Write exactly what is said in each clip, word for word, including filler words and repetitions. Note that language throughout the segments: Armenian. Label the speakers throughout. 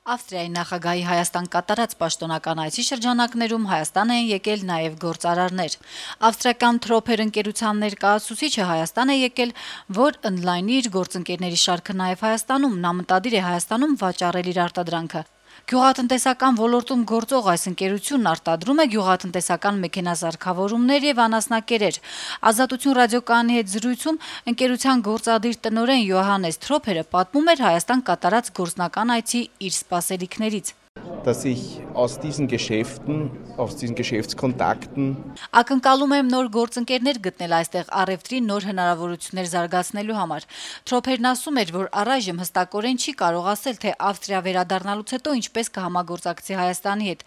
Speaker 1: Ավստրիայի նախագահի Հայաստան կատարած պաշտոնական այցի շրջանակներում Հայաստան են եկել նաև գործարարներ։ Ավստրիական Թրոփեր ընկերության ներկայացուցիչը Հայաստան է եկել, որ ընդլայնի իր գործընկերների շարքը նաև Հայաստանում, նա մտադիր է Հայաստանում վաճառել իր արտադրանքը։ Գյուղատնտեսական ոլորտում գործող այս ընկերությունն արտադրում է գյուղատնտեսական մեքենազարդավորումներ եւ անասնակերեր։ Ազատություն ռադիոկայանի հետ զրույցում ընկերության գործադիր տնօրեն Յոհաննես Թրոփերը պատմում էր Հայաստան կատարած գործնական այցի իր սպասելիքներից։
Speaker 2: Dass ich aus diesen Geschäften, aus diesen Geschäftskontakten
Speaker 1: Ակնկալում եմ նոր գործընկերներ գտնել այստեղ առևտրի նոր հնարավորություններ զարգացնելու համար։ Թրոփերն ասում էր, որ առայժմ հստակորեն չի կարող ասել, թե Ավստրիա վերադառնալուց հետո ինչպես կհամագործակցի Հայաստանի հետ։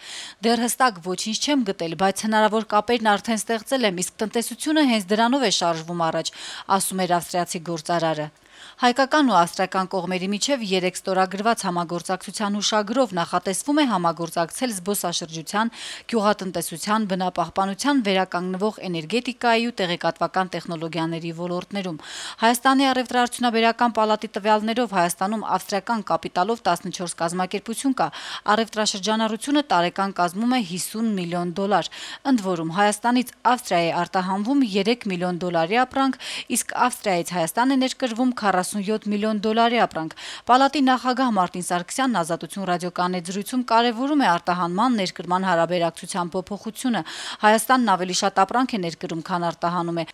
Speaker 1: Դեռ հստակ ոչինչ չեմ գտել, բայց հնարավոր կապերն արդեն ստեղծել եմ, իսկ տնտեսությունը հենց դրանով է շարժվում առաջ, ասում էր ավստրիացի գործարարը։ Հայկական ու ավստրիական կողմերի միջև երեք ստորագրված համագործակցության հուշագրով նախատեսվում է համագործակցել զբոսաշրջության, գյուղատնտեսության, բնապահպանության, վերականգնվող էներգետիկայի ու տեղեկատվական տեխնոլոգիաների ոլորտներում։ Հայաստանի առևտրաարդյունաբերական պալատի տվյալներով Հայաստանում ավստրիական կապիտալով տասնչորս կազմակերպություն կա, առևտրաշրջանառությունը տարեկան կազմում է հիսուն միլիոն դոլար, ընդ որում Հայաստանից Ավստրիայի է արտահանվում երեք միլիոն դոլարի ապրանք, իսկ Ավստրիայից Հայաստան է ներկրվում քառասունյոթ միլիոն դոլարի ապրանք։ Պալատի նախագահ Մարտին Սարգսյանն Ազատություն ռադիոկայանի հետ զրույցում կարևորում է արտահանման ներկրման հարաբերակցության փոփոխությունը։ Հայաստանն ավելի շատ ապրանք է ներկրում, քան արտահանում է։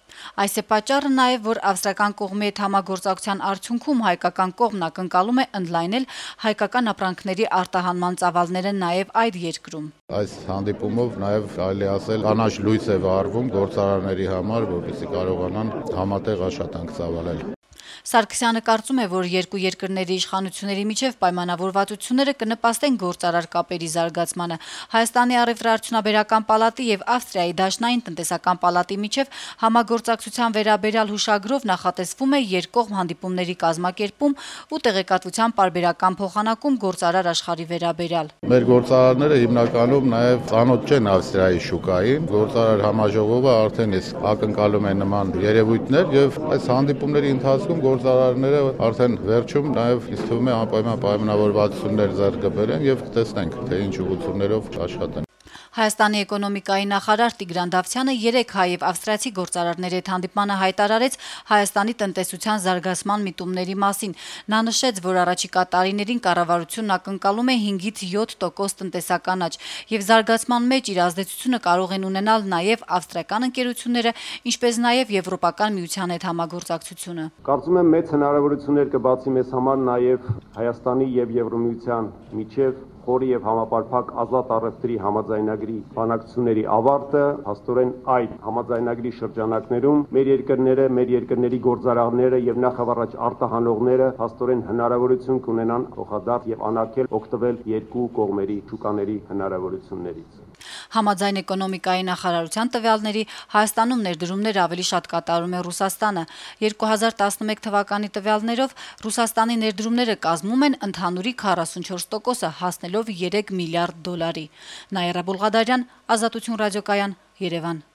Speaker 1: Այս է պատճառը նաև, որ ավստրիական կողմի հետ համագործակցության արդյունքում հայկական կողմն ակնկալում է ընդլայնել հայկական ապրանքների արտահանման ծավալները նաև այդ երկրում։
Speaker 3: Այս հանդիպումով նաև կարելի ասել կանաչ լույս է վառվում գործարարների համար, որպեսզի կարողանան համատեղ աշխատանք ծավալել։
Speaker 1: Սարգսյանը կարծում է, որ երկու երկրների իշխանությունների միջև պայմանավորվածությունները կնպաստեն գործարար կապերի զարգացմանը։ Հայաստանի առևտրաարդյունաբերական պալատի եւ Ավստրիայի դաշնային տնտեսական պալատի միջև համագործակցության վերաբերյալ հուշագրով նախատեսվում է երկկողմ հանդիպումների կազմակերպում ու տեղեկատվության պարբերական փոխանակում գործարար աշխարհի վերաբերյալ։
Speaker 3: Մեր գործարարները հիմնականում նաև ծանոթ չեն Ավստրիայի շուկային, գործարար համաժողովը արդեն իսկ ակնկալում է նման երևույթներ եւ այս հանդիպումների ընթացքում գործարարները արդեն վերջում նաև ինձ թվում է անպայման պայմանավորվածություններ ձեռք կբերեն եւ տեսնենք թե ինչ ուղղություններով աշխատեն։
Speaker 1: Հայաստանի էկոնոմիկայի նախարար Տիգրան Դավթյանը երեք հայ եւ ավստրիացի գործարարների հետ հանդիպմանը հայտարարեց Հայաստանի տնտեսության զարգացման միտումների մասին։ Նա նշեց, որ առաջիկա տարիներին կառավարությունն ակնկալում է հինգից յոթ տոկոս տնտեսական աճ եւ զարգացման մեջ իր ազդեցությունը կարող են ունենալ նաեւ ավստրիական ընկերությունները, ինչպես նաեւ Եվրոպական միության հետ համագործակցությունը։
Speaker 4: Կարծում եմ մեծ հնարավորություններ կբացի մեզ համար նաեւ Հայաստանի եւ Եվրոմիության միջև խորի եւ համապարփակ ազատ առևտրի համաձայնագրի բանակցությունների ավարտը, հաստորեն այդ համաձայնագրի շրջանակներում մեր երկրները, մեր երկրների գործարարները եւ նախավարաճ արտահանողները հաստորեն հնարավորություն կունենան փոխադարձ եւ անակել օգտվել երկու կողմերի շուկաների հնարավորություններից։
Speaker 1: Համաձայն էկոնոմիկայի նախարարության տվյալների Հայաստանում ներդրումները ավելի շատ կատարում է Ռուսաստանը։ երկու հազար տասնմեկ թվականի տվյալներով Ռուսաստանի ներդրումները կազմում են ընդհանուրի քառասունչորս տոկոսը, հասնելով երեք միլիարդ դոլարի։ Նաիրա Բուլղադարյան, Ազատություն ռադիոկայան, Երևան։